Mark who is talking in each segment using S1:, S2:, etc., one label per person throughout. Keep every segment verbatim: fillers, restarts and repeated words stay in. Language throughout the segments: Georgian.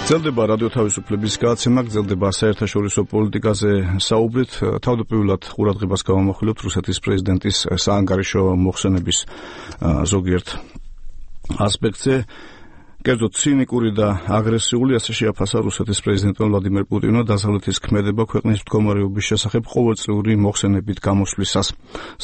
S1: გრძელდება რადიო თავისუფლების გადაცემა, გრძელდება საერთაშორისო პოლიტიკაზე საუბრით. თავდაპირველად ყურადღებას გავამახვილებთ რუსეთის პრეზიდენტის საანგარიშო მოხსენების ზოგიერთ ასპექტზე. კერძოდ ცინიკური და აგრესიული, ასე შეაფასა რუსეთის პრეზიდენტმა ვლადიმერ პუტინმა დასავლეთის ქმედება ქვეყნის მდგომარეობის შესახებ ყოველწლიური მოხსენებით გამოსვლისას.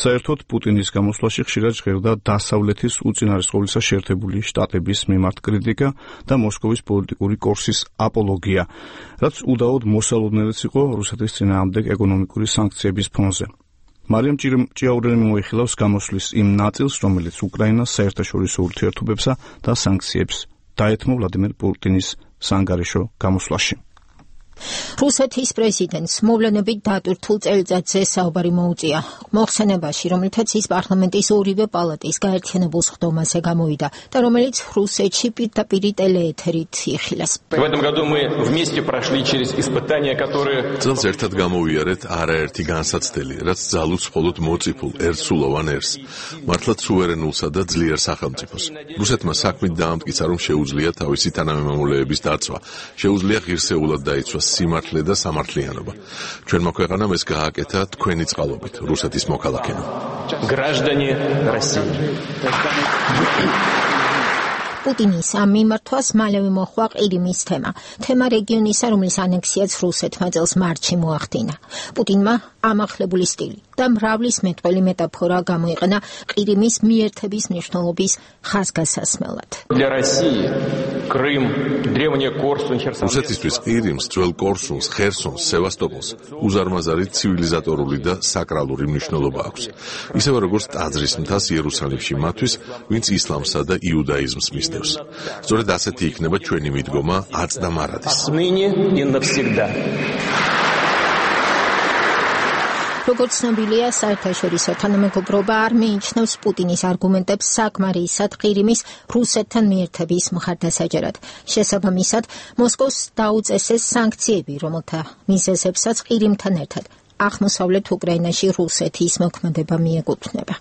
S1: საერთოდ პუტინის გამოსვლაში ხშირად ჟღერდა დასავლეთის უწინარესყოვლისა შეერთებული შტატების მიმართ კრიტიკა და მოსკოვის პოლიტიკური კურსის აპოლოგია, რაც უდაოდ მოსალოდნელიც იყო რუსეთის წინააღმდეგ ეკონომიკური სანქციების ფონზე. მარიამ ჭიაურელი მოიხილავს გამოსვლის იმ ნაწილს, რომელიც უკრაინას საერთაშორისო ურთიერთობებსა და სანქციებს დაეთმო ვლადიმერ პუტინის საანგარიშო გამოსვლაში.
S2: რუსეთის პრეზიდენტს მოვლენებით დატვირთულ წელიწადზე საუბარი მოუწია. მოხსენებაში, რომელთაც ის პარლამენტის ორივე პალატის გაერთიანებულ სხდომაზე გამოვიდა და რომელიც რუსეთში პირდაპირ ტელეეთერით იხილეს.
S3: წელს ერთად გამოვიარეთ არაერთი განსაცდელი, რაც ძალუց მხოლოდ მოწიფულ ერთსულოვან ერს, მართლაც სუვერენულსა და ძლიერ სახელმწიფოს. რუსეთმა საქმით დაამტკიცა, რომ შეუძლია თავისი თანამემამულეების დაცვა, შეუძლია ღირსეულად დაიცვა სიმართლე და სამართლიანობა. ჩვენმა ქვეყანამ ეს გააკეთა თქვენი წყალობით, რუსეთის მოქალაქეებმა.
S2: პუტინის ამ მიმართვას მალევე მოჰყვა ყირიმის თემა. თემა რეგიონისა, რომლის ანექსიაც რუსეთმა წელს მარტში მოახდინა. პუტინმა ამახლებული სტილი და მრავლის მეტყველი მეტაფორა გამოიყენა ყირიმის მიერთების მნიშვნელობის ხაზგასასმელად.
S3: რუსეთისთვის ყირიმს, ძველ კორსუნს, ხერსონს, სევასტოპოლს უზარმაზარი ცივილიზატორული და საკრალური მნიშვნელობა აქვს. ისევე როგორც ტაძრის მთას იერუსალიმში მათთვის, ვინც ისლამსა და იუდაიზმს მისდევს. სწორედ ასეთი იქნება ჩვენი მიდგომა აწდა მარადის.
S2: როგორც ცნობილია, საერთაშორისო თანამეგობრობა არ მიიჩნევს პუტინის არგუმენტებს საკმარისად ყირიმის რუსეთთან მიერთების მხარდასაჭერად. შესაბამისად, მოსკოვს დაუწესეს სანქციები, რომელთა მიზეზებსაც ყირიმთან ერთად აღმოსავლეთ უკრაინაში რუსეთის მოქმედება მიეკუთვნება.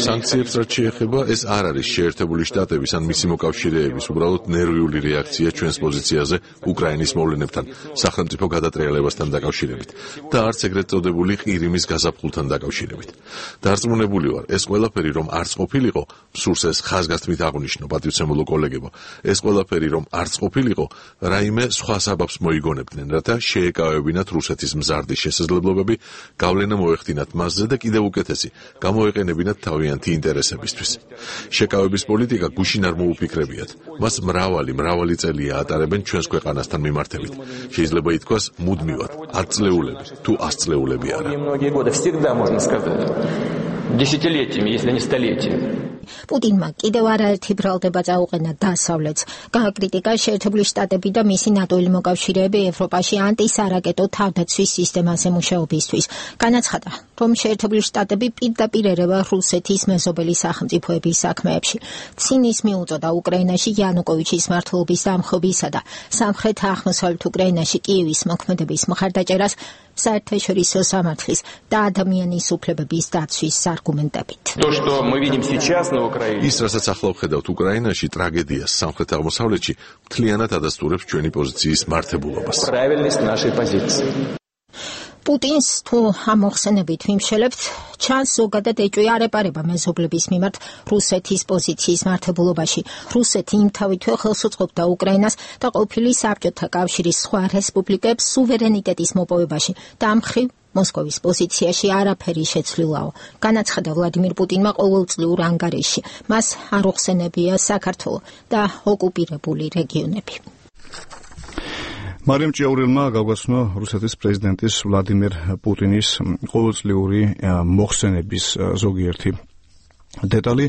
S3: სანქციებს რაც შეეხება, ეს არ არის შეერთებული შტატების ან მისი მოკავშირეების უბრალოდ ნერვიული რეაქცია ჩვენს პოზიციაზე უკრაინის მოვლენებთან, სახელმწიფო გადატრიალებასთან დაკავშირებით და არც ეგრეთ წოდებული ყირიმის გაზაფხულთან დაკავშირებით. დარწმუნებული ვარ, ეს ყველაფერი რომ არც ყოფილიყო, სურს ეს ხაზგასთმით აღვნიშნო, პატივცემულო კოლეგებო, ეს ყველაფერი რომ არც ყოფილიყო, რაიმე სხვა საბაბს მოიგონებდნენ, რათა შეეკავებინათ რუსეთის მზარდი შესაძლებლობები, გავლენა მოეხდინათ მასზე და კიდევ უკეთესი, გამოეყენებინათ თავიანთი ინტერესებისთვის. შეკავების პოლიტიკა გუშინ არ მოუფიქრებიათ. მას მრავალი, მრავალი წელია ატარებენ ჩვენს ქვეყანასთან მიმართებით. შეიძლება ითქვას მუდმივად, ათწლეულები, თუ ასწლეულები არა.
S4: Десятилетиями, если не столетиями.
S2: პუტინმა კიდევ არაერთი ბრალდება წაუყენა დასავლეთს. გააკრიტიკა შეერთებული შტატები და მისი ნატოელი მოკავშირეები ევროპაში ანტისარაკეტო თავდაცვის სისტემაზე მუშაობისთვის. განაცხადა, რომ შეერთებული შტატები პირდაპირ ერევა რუსეთის მეზობელი სახელმწიფოების საქმეებში. ცინიზმი უწოდა უკრაინაში იანუკოვიჩის მმართველობის დამხობისა და სამხრეთ აღმოსავლეთ უკრაინაში კიევის მოქმედების მხარდაჭერას საერთაშორისო სამართლის და ადამიანის უფლებების დაცვის არგუმენტებით.
S3: ის, რასაც ახლა ვხედავთ უკრაინაში, ტრაგედიას სამხრეთ აღმოსავლეთში მთლიანად ადასტურებს ჩვენი პოზიციის მართებულობას.
S2: პუტინს თუ ამ მოხსენებით ვიმშელებთ, ჩანს ზოგადად ეჭვი არ ეპარება მეზობლების მიმართ რუსეთის პოზიციის მართებულობაში. რუსეთი იმთავითვე ხელს უწყობდა უკრაინას და ყოფილი საბჭოთა კავშირის სხვა რესპუბლიკებს სუვერენიტეტის მოპოვებაში და ამ მხრივ მოსკოვის პოზიციაში არაფერი შეცვლილაო. განაცხადა ვლადიმერ პუტინმა ყოველწლიურ ანგარიშში. მას არ უხსენებია საქართველო და ოკუპირებული რეგიონები.
S1: მარიამ ჭიაურელმა გავგაცნო რუსეთის პრეზიდენტის ვლადიმერ პუტინის ყოველწლიური მოხსენების ზოგიერთი დეტალი.